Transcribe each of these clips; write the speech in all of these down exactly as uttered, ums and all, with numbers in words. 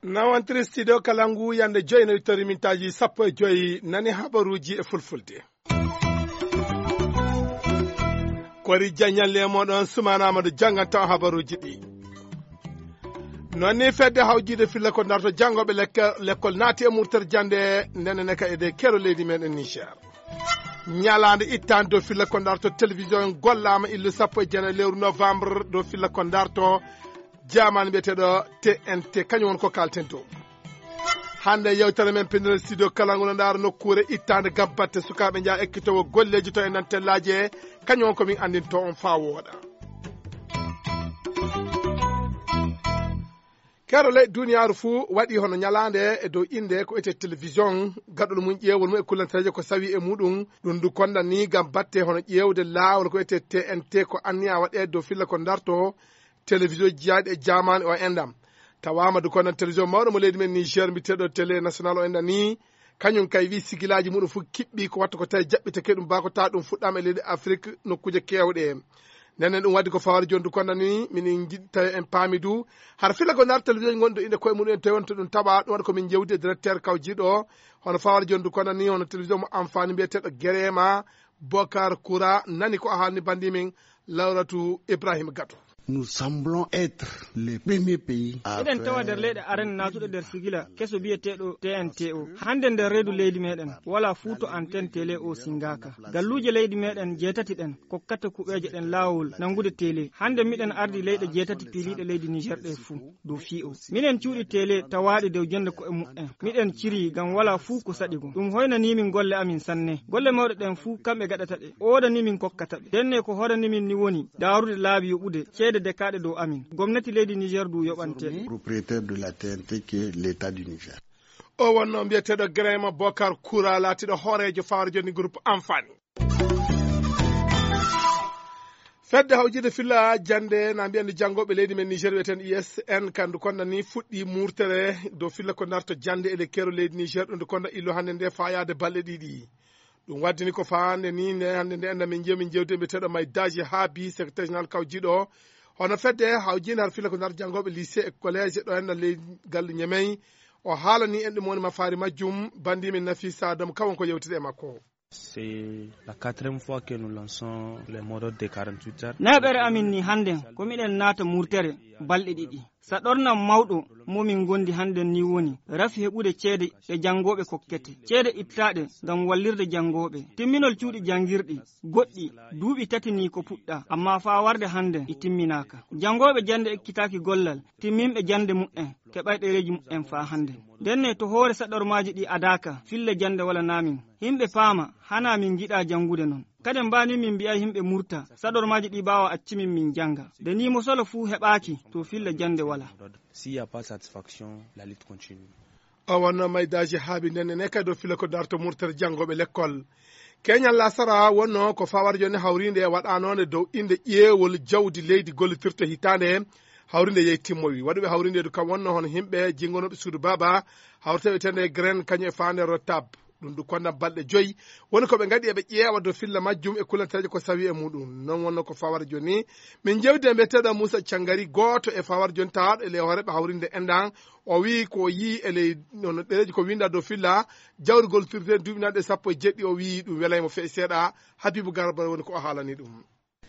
Nawantiri studio Kalangu yande joyi no wittori mintaaji sappo e joyi. Nani habaruuji e fulfulde. Kori jaññalle e moɗon Sumaana Amadou jannganto habaruuji ɗi. Noon ni fedde hawjiide filla ko darto janngooɓe lekke- lekkol naati e murtere jannde ndene ne ka e de kero leydi meɗen Niger. Ñalaande ittaande dow filla ko darto télévision gollaama illu sappo e jeenayi lewru novembre dow filla ko darto jaamaani mbiyeteeɗo T N T, kañum won ko kalten dow. Hannde yewtere men pinndere studio kala ngol ndaara nokkuure ittaande gabbatte sukaaɓe njaha ekkitoowo golleeji to e nantellaaje, kañum won ko min anndinto on faa wooɗa. Keerol leyɗe duniyaaru fuu waɗi hono ñalaande e dow innde ko etee télévision, gaɗol mum ƴeewol mum e kullantereeje ko sawi e muɗum. Ɗum ndu konda ni ngam batte hono ƴeewde laawol ko etee T N T ko anniya waɗeede dow filla ko darto télévision jiyaaɗi e jaamaani o enɗam. Tawaama du konda télévision mawɗo mo leydi men Niger mbiyeteeɗo télé national o enɗam ni, kañum kay wi sigilaaji muɗum fof kiɓɓi ko watta ko tawi jaɓɓitake ɗum ba ko tawa ɗum fuɗɗaama e leydi Afrik nokkuuje keewɗe. Nden ɗum waɗi ko fawar jondu kono ni min njiɗi tawi en paami du hara fila ko nar télévision gonɗo inde koye muɗum en tawi wonto ɗum taɓa ɗum waɗa ko min jewdi e directeur kawjiɗo hono fawar jondu kono ni hono télévision mo amfani mbiyeteɗo Gerema Bokar Koura nani ko a haalni bandi min Lawratu Ibrahima Gato. Nous semblons être les premiers pays à eɗen tawa nder leyɗe arene natuɗe nder sigila keso biyeteɗo T N T o. Hande nder reedu leydi meɗen wala fuu to antenne télé o singaka. Galluuje leydi meɗen jeetati ɗen kokkata kuɓeeje ɗen laawol nangude télé. Hande miɗen ardi leyɗe jeetati piiliiɗe leydi Niger ɗe fuu dow fii o. Minen cuuɗi télé tawaaɗi dow jonde ko'e mu'en. Miɗen ciri ngam wala fuu ko saɗi gom. Ɗum hoynanii min golle amin sanne. Golle mawɗe ɗen fuu kamɓe gaɗata ɗe. Oodanii min kokkata ɓe. Denne ko hoodanii min ni woni daarude laabi yoɓude ceede dekaaɗe dow amin. Gomnati leydi Niger du yoɓante ɗe. Propriétaire de la T N T qui est l'État du Niger. O wonno mbiyeteeɗo Grema Bokar Koura laatiiɗo hooreejo fawre jonni groupe Amfani. Fedde hawjide filla jannde na mbiya nde janngooɓe leydi men Niger wiyeten I S N kandu konda ni fuɗɗi murtere dow filla ko narto jannde e lekkero leydi Niger ɗum ndu konda illo hannde nde fayaade balɗe ɗiɗi. Ɗum waddini ko faande ni nde hannde nde enda min jeewi min jewde mbiyeteeɗo may daji haabi secrétaire général kawjiɗo hono fedde hawjinde har filla ko narto janngooɓe lycée e collège ɗo enda ley galle ñemey. O haalani en ɗum woni mafaari majjum bandi min Nafisa Adamu kawon ko yewtide e makko. C'est la quatrième fois que nous lançons les mots d'ordre de quarante-huit heures. Nayaɓere amin ni hannden ko miɗen naata murtere balɗe ɗiɗi. Saɗornam mawɗo mo min ngondi hannden ni woni rafi heɓude ceede ɗe janngooɓe kokkete. Ceede ittaaɗe ngam wallirde janngooɓe. Timminol cuuɗi janngirɗi goɗɗi duuɓi tati ni ko puɗɗa, amma faa warde hannden ɗi timminaaka. Janngooɓe jannde ekkitaaki gollal, timminɓe jannde mu'en, keɓay ɗereeji mu'en faa hannden. Ndenne to hoore saɗormaaji ɗi adaaka, filla jannde wala naamin. Himɓe paama, hanaa min ngiɗaa janngude non. Kaden mbaa ni min mbi'ay himɓe murta, saɗormaaji ɗi ɓaawa acci min min jannga. Nde ni mosolo fuu heɓaaki, to filla jannde wala. S'il y a pas satisfaction, la lutte continue. O wonno maydaaji haabi nden ene kadi o fila ko darto murtere janngooɓe lekkol. Keñal lasara wonno ko fawar joni hawrinde e waɗanoonde dow innde ƴeewol jawdi leydi gollitirta hitaande hawrinde yehi timmowi. Waɗuɓe hawrinde du kam wonno hono himɓe jingonooɓe suudu baaba hawriteɓe tende graine kañum e faande rotab. Ɗum du kondam balɗe joyi woni ko ɓe ngaɗi eɓe ƴeewa dow filla majjum e kulanteeje ko sawi e muɗum. Non wonno ko fawar joni. Min jewdi e mbiyeteeɗo Moussa Cangari gooto e fawar joni tawaaɗo e ley hooreɓe hawrinde endan. O wii ko o yii e ley no ɗereeji ko winda dow filla jawrugol turte duuɓinaaɗe sappo e jeɗɗi o wii ɗum welay mo feƴ seeɗa. Habibu Garba woni ko o haalani ɗum.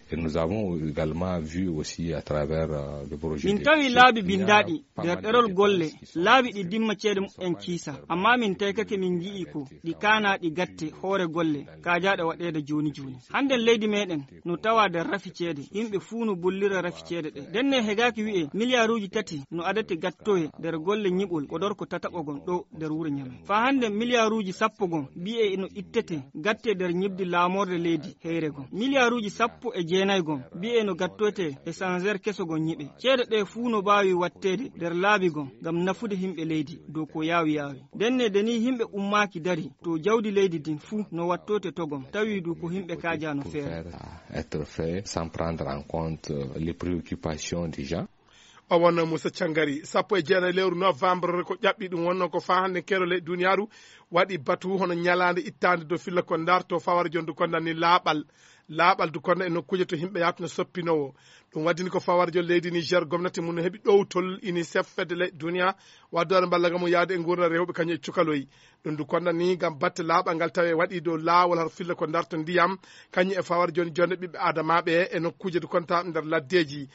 Et nous avons également vu aussi à travers euh, le projet min tawi laabi bindaaɗi nder ɗerol golle laabi ɗi dimma ceede mumen kiisa amma min taykake min nji'i ko ɗi kaanaaɗi gatte hoore golle kaajaaɗe waɗeede jooni jooni. Hannden leydi meɗen no tawa nder rafi ceede yimɓe fuu no bollira rafi ceede ɗe ndenne hegaaki wi'e miliyaaruuji tati no adate gattoye nder golle ñiɓol ko dorko tataɓo gon ɗo nder wuro ñame faa hannden miliyaaruuji sappo gon mbi'e no ittete gatte nder ñibdi laamorde leydi heyre gon miliyaaruuji sappo e jeenay gon mbi'e no gattoyte e sanzer keso gon ñiɓe ceede ɗe fuu no baawi watteede nder laabi gon ngam nafude himɓe leydi dow ko yaawi yaawi ndenne de ni himɓe ummaaki dari to jawdi leydi din fuu no wattoyte to gon tawi du ko himɓe kaajaa no feere. Être fait sans prendre en compte euh, les préoccupations des gens. O wonno Moussa Thiangari. Sappo e jeenayi lewru novembre ko ƴaɓɓi, ɗum wonno ko faa hannde keerol leyɗe duniyaaru waɗi batu hono ñalaande ittaande dow filla ko ndarto fawara jondu ko ndanni laaɓal. Laaɓal du kono e nokkuuje to yimɓe yahata no soppinoowo. Ɗum waddini ko fawara jon leydi Niger, gomnati mum no heɓi ɗowtol UNICEF, fedde leyɗe duniya, waddoore mballa ngam yaade e nguurndam rewɓe kañum e cukaloy. Ɗum du kono ni ngam batte laaɓal ngal tawi waɗi dow laawol har filla ko ndarto ndiyam, kañum e fawara jon jonde ɓiɓɓe adamaaɓe e nokkuuje du konta nder laddeeji.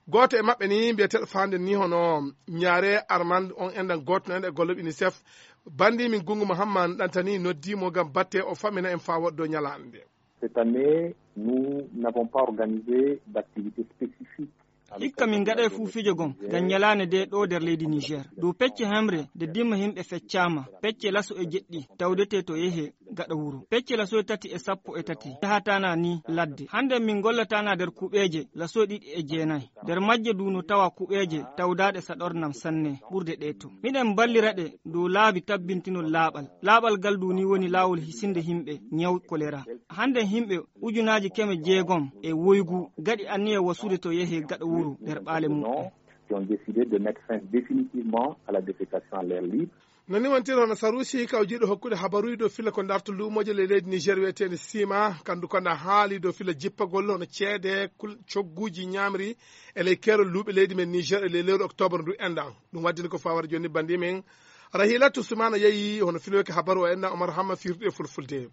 Gooto e maɓɓe ni mbiyeteeɗo faande ni hono Ñaare Armand, on enɗan gooto no enɗan e golle UNICEF, bandi min Gungu Muhammad ɗantani noddi mo ngam batte o famina en faa woɗɗo ñalaande nde. Cette année, nous n'avons pas organisé d'activité spécifique. Hikka min ngaɗay fuu fijo gom ngam ñalaande nde ɗo nder leydi Niger. Dow pecce hemre nde dimma yimɓe feccaama, pecce laso e jeɗɗi tawdete to yehe gaɗa wuro. Pecce laso e tati e sappo e tati yahatana ni ladde. Hannde min ngollatana nder kuɓeeje laso e ɗiɗi e jeenayi. Nder majje du no tawa kuɓeeje tawdaaɗe saɗornam sanne ɓurde ɗe to. Miɗen mballira ɗe dow laabi tabbintinol laaɓal. Laaɓal ngal du ni woni laawol hisinde yimɓe ñaw kolera. Hannde yimɓe ujunaaji keme jeegom e woygu gaɗi anniya wasude to yehe gaɗa wuro nder ɓaale muɓɓen. Qui ont décidé de mettre fin définitivement à la défécation à l'air libre. No ni wontiri hono Sarusi kawjiiɗo hokkude habaruuji dow filla ko ndarto luumooje ley leydi Niger wiyeteende Sima, kandu ko nda haali dow filla jippagol hono ceede, kul-, cogguuji ñaamri e ley keerol luuɓe leydi men Niger e ley lewru octobre ndu enɗan. Ɗum waddini ko fawara joni bandi men Rahilatu Sumana yeeyi hono filooki habaru o enɗan Omar Hamma firti e fulfulde.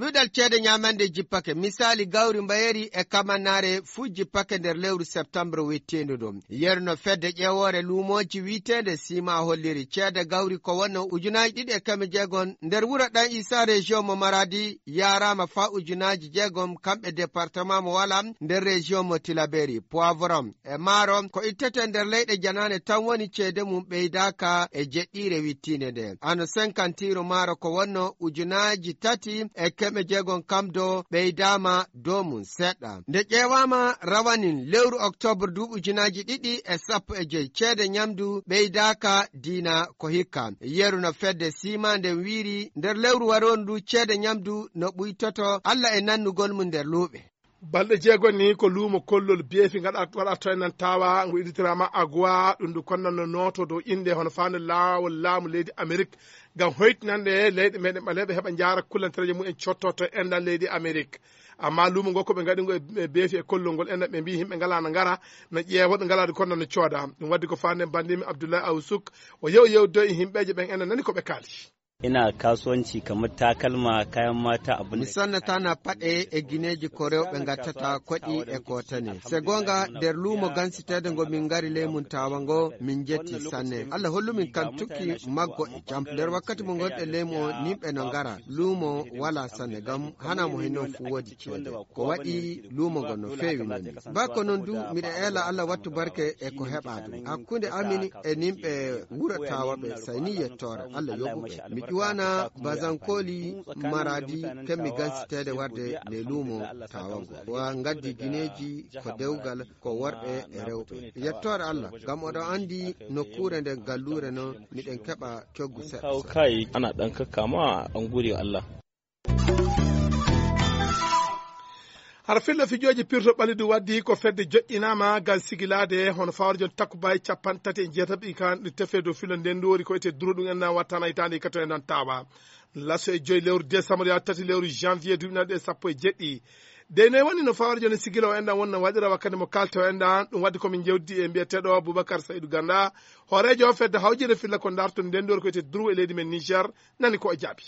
Ɗuɗal ceede ñaamande jippake, misaali gawri mbayeri e kamannaare fuu jippake nder lewru septembre wittiindu ɗum. Yeru no fedde ƴeewoore luumooji wiiteende Sima holliri, ceede gawri ko wonno ujunaaji ɗiɗi e keme jeegom nder wuro Ɗan Isa, région mo Maradi, yaaraama faa ujunaaji jeegom kamɓe département mo Wala nder région mo Tilaberi. Poivron e maaro ko ittete nder leyɗe janaane tan woni ceede mum ɓeydaaka e jeɗɗiire wittiinde nde. Ano senkantiiru maaro ko wonno ujunaaji tati e keme jeegom kam do ɓeydaama dow mum seɗɗa. Nde ƴeewaama rawanin lewru octobre du ujunaaji ɗiɗi e sappo e joy, ceede ñamdu ɓeydaaka diina ko hikka. Yeru no fedde Sima nden wiiri nder lewru waroondu ceede ñamdu no ɓuytoto Allah e nannugol mum nder luuɓe. Balɗe jeegom ni ko luumo kollol beefi ngaɗa-, waɗata to enɗan tawa, ngu idditiraama Agwa, ɗum ndu konnan no nooto dow innde hono faande laawol laamu leydi Amerik, ngam hoytinande leyɗe meɗen ɓaleeɓe heɓa njaara kullantereeje mumen cotto to enɗan leydi Amerik. Amma luumo ngo ko ɓe ngaɗi ngo e, e beefi e kollol ngol enɗan, ɓe mbii yimɓe ngalaa no ngara, no ƴeewa ɗo ngalaa ɗo konnan no cooda. Ɗum waddi ko faande banndimi Abdoulaye Awsuk, o yew yewdo e yimɓeeje ɓen enɗan nani ko ɓe kaali. Ina kasuwanci kamar takalma, kayan mata, abin Mi da sannatana paɗe e gineeji ko rewɓe ngattata koɗi e kotane. Se goonga, nder luumo gansiteede ngo min ngari ley mum tawa ngo, min njetti sanne. Allah hollu min kan tukki maggo e jam. Nder wakkati mo ngonɗen ley mo, nimɓe no ngara. Luumo wala sanne, ngam hana mo hen non fuu woodi ceede. Ko waɗi luumo ngo no feewi non ni. Ba ko non du, miɗa eela Allah wattu barke e ko heɓa ɗum. Hakkunde amin e nimɓe wuro tawa ɓe, sayni yettoore Allah yoɓu ɓe. Mi ƴuwana Bazankoli Maradi, kemmi gansiteede warde le luumo tawa ngo. Wa ngaddi gineeji ko dewgal, ko worɓe e rewɓe. Yettoore Allah, ngam oɗon anndi nokkuure nden galluure non, miɗen keɓa coggu seɗɗa Kawo seɗɗa. Kayayyaki ana ɗan kakkama an gode wa Allah. Hara filla fijooji pirto ɓalidu waddi ko fedde joƴƴinaama ngal sigilaade hono fawre jon takkubaay capanɗe tati e jeetaɓe ka nde tefe dow filo nden ndoori ko ete duro ɗum en na wattana hitaande ka to en nan tawa. Laso e joyi lewru décembre yaa tati lewru janvier duuɓi nayi ɗe sappo e jeɗɗi. De noy woni no fawre jon sigila o enɗan wonna waɗira wakkati mo kalta o enɗan ɗum waddi ko min jewdi e mbiyeteɗo Boubacar Saïdou Ganda, hooreejo fedde hawjinde filla ko ndarto nden ndoori ko ete duro e leydi men Niger, nani ko o jaabi.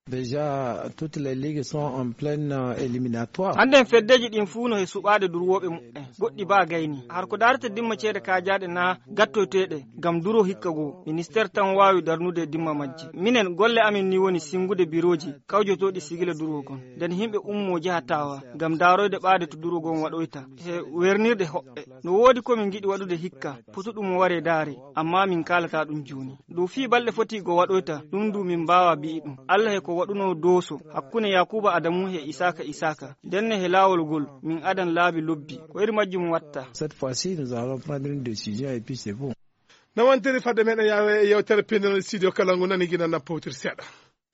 Déjà, toutes les ligues sont en pleine, euh, éliminatoire. Hannden feddeeji ɗin fuu no he suɓaade durwooɓe muɓɓen. Goɗɗi baa gayni. Har ko daarata dimma ceede kaajaaɗe naa gattoyteeɗe ngam duro hikka goo. Ministeer tan waawi darnude dimma majji. Minen, golle amin ni woni sinngude birooji kawjotooɗi sigila duro gon. Nden himɓe ummoo jaha tawa ngam daaroyde ɓaade to duro gon waɗoyta. He wernirde hoɓɓe. No woodi ko min ngiɗi waɗude hikka, potuɗum mo waree daare, amma min kaalataa ɗum jooni. Dow fii balɗe foti go waɗoyta, ɗum du min mbaawaa bi'i ɗum. Allah he ko waɗunoo dooso hakkunde Yaakuuba Adamu he Isaaka Isaaka, ndenne he laawol ngol, min adan laabi lobbi. Ko iri majjum watta. Cette fois-ci, nous allons prendre une décision et puis c'est bon. No wontiri fadde meɗen yawe e yewtere pinal studio kala ngu nani gina na powtir seeɗa.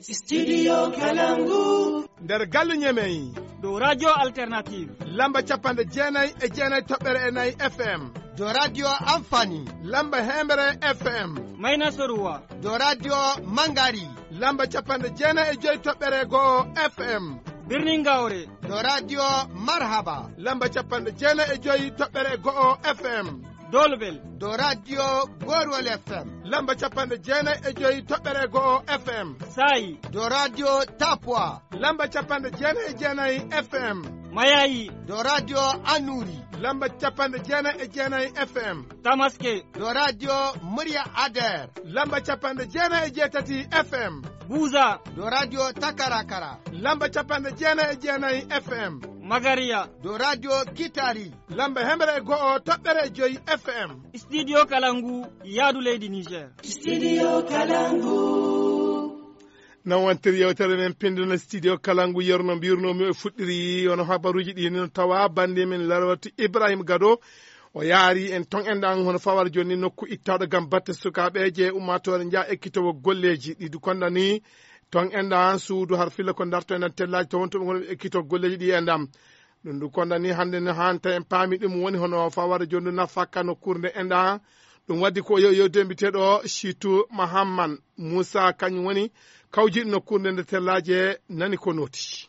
Studio Kalangu. Nder galle Ñemey. Dow Radio Alternative. Lamba capanɗe jeenayi e jeenayi toɓɓere e nayi F M. Dow Radio Amfani. Lamba hemre F M. Mayna Soruwa. Dow Radio Mangari. Lamba capanɗe jeenayi e joyi toɓɓere go'o F M. Birnin Gawre. Dow Radio Marhaba. Lamba capanɗe jeenayi e joyi toɓɓere go'o F M. Dolbel. Dow Radio Gorwol F M. Lamba capanɗe jeenayi e joyi toɓɓere go'o F M. Sayi. Dow Radio Tapua. Lamba capanɗe jeenayi e jeenayi F M. Mayayi. Dow Radio Anuri. Lamba capanɗe jeenayi e jeenayi F M. Tamaske. Dow Radio Murya Ader. Lamba capanɗe jeenayi e jeetati F M. Buza. Dow Radio Takarakara. Lamba capanɗe jeenayi e jeenayi F M. Magariya. Dow Radio Kitari. Lamba hemre e go'o toɓɓere e joyi F M. Studio Kalangu, yaadu leydi Niger. Studio Kalangu. Non wontir yewtere men pinndunde studio Kalangu, yerno mbirnomi o fuɗɗiri, wono habaruuji ɗi no tawa bannde men Larwatu Ibrahim Gado. O yaari en ton enɗan hono fawar joni nokku ittaɗo gam batte sukaaɓe je ummatore nja ekkitowo golleji ɗi du kondani ton enɗan suudu har filla ko darto enɗan tellaji to wonto ɓe ngol ekkito golleji ɗi enɗan. Ɗum du kondani hannde no hanta en paami ɗum woni hono fawar joni nafaka nokkuure nde enɗan. Ɗum waddi ko yo, yo dembiteɗo Chitu Mahamman Moussa kañum woni kawjiɗo nokkuure nde nde tellaje nani ko noti.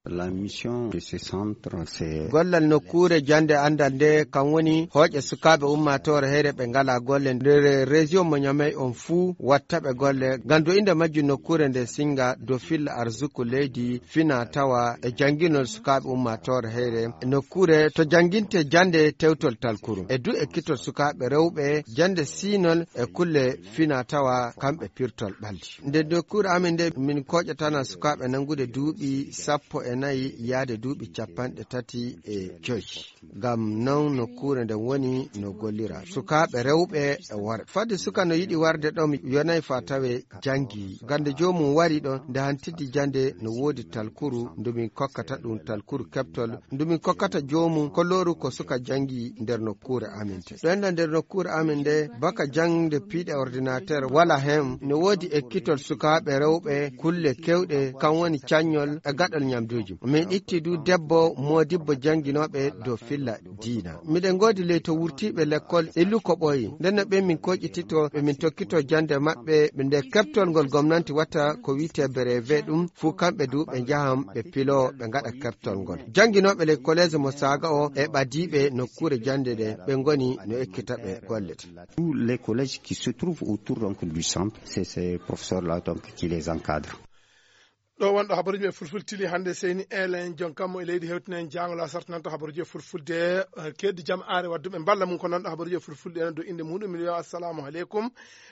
La mission de ce centre, c'est gollal nokkuure jannde anndal nde, kam woni hooƴe sukaaɓe ummaatoore heyre ɓe ngalaa golle nder région mo Niamey on fuu, watta ɓe golle. Ngam do innde majjum nokkuure nde singa do filla arsuku leydi, fina tawa e jannginol sukaaɓe ummaatoore heyre. Nokkuure to jannginte jannde tewtol talkuru. E du ekkitol sukaaɓe rewɓe jannde siinol e kulle fina tawa kamɓe pirtol ɓalli. Nde nokkuure amin nde, min kooƴatana sukaaɓe nanngude duuɓi sappo e nayi yaade duuɓi capanɗe tati e joyi. Ngam non nokkuure nden woni no gollira. Sukaaɓe rewɓe e worɓe. Fadde suka no yiɗi warde ɗo, mi yonay fa tawe janngi. Gannde joomum wari ɗo, nde hantiti jannde no woodi talkuru, ndu min kokkata ɗum talkuru keɓtol, ndu min kokkata joomum kolooru ko suka janngi nder nokkuure amin te. Ɗo enɗan nder nokkuure amin nde, baka jaŋde piiɗe ordinateur wala hen, no woodi ekkitol sukaaɓe rewɓe, kulle kewɗe, kam woni caññol e gaɗol ñamduuji. Min itti du debbo moodibbo jannginooɓe dow filla diina. Miɗen ngoodi ley to wurtiiɓe lekkol illu ko ɓooyi. Nden no ɓe min kooƴitito, ɓe min tokkito jannde maɓɓe, ɓe nde keɓtol ngol gomnanti watta ko wi'etee brevet ɗum, fuu kamɓe du ɓe njahan ɓe piloo, ɓe ngaɗa keɓtol ngol. Jannginooɓe ley kolees mo Saaga o e ɓadiiɓe nokkuure jannde nde, ɓe ngoni no ekkita ɓe golle. Tous les collèges qui se trouvent autour donc du centre, c'est ces professeurs-là donc qui les encadrent. Ɗo wonɗo habaruuji e fulfulde tili hannde, seyni elen jon kammu e leydi hewtinen jaangol a sartinanta habaruuji e fulfulde, eh, keddi jam aare wadduɓe mballa mum ko nanɗo habaruuji e fulfulde enen dow innde muɗum. Miɗo wiya assalamu aleykum.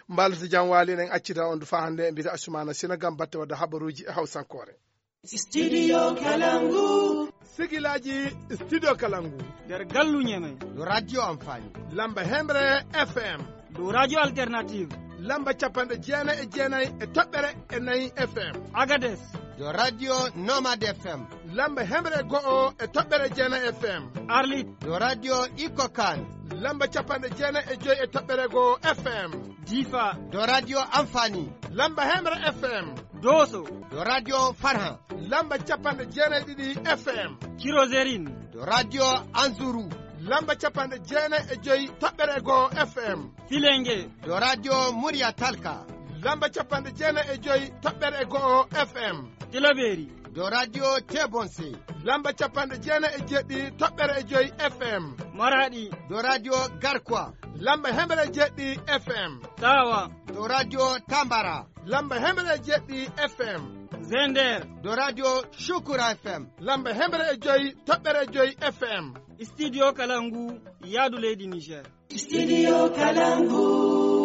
Mballata jam waali, eɗen accida on du faa hannde e mbiyata Asumana Sina gam batte wadde habaruuji e hawsankoore. Studio Kalangu. Sigilaaji Studio Kalangu. Nder gallu Ñeme. Dow Radio Amfani. Lamba hemre F M. Dow Radio Alternative. Lamba capanɗe jeenayi e jeenayi e toɓɓere e nayi F M. Agades. Dow Radio Nomad F M. Lamba hemre go'o e toɓɓere jeenayi F M. Arlit. Dow Radio Ikokan. Lamba capanɗe jeenayi e joyi e toɓɓere go'o F M. Difa. Dow Radio Amfani. Lamba hemre F M. Doso. Dow Radio Farhan. Lamba capanɗe jeenayi e ɗiɗi F M. Cirozerin. Dow Radio Anzuru. Lamba capanɗe jeenayi e joyi toɓɓere go'o F M. Filenge. Dow Radio Murya Talka. Lamba capanɗe jeenayi e joyi toɓɓere go'o F M. Tilaberi. Dow Radio Tebonse. Lamba capanɗe jeenayi e jeɗɗi toɓɓere e joyi F M. Maradi. Dow Radio Garkwa. Lamba hemre e jeɗɗi F M. Tawa. Dow Radio Tambara. Lamba hemre e jeɗɗi F M. Zender. Dow Radio Shukura F M. Lamba hemre e joyi toɓɓere joyi F M. Studio Kalangu, yaadu leydi Niger. Studio Kalangu.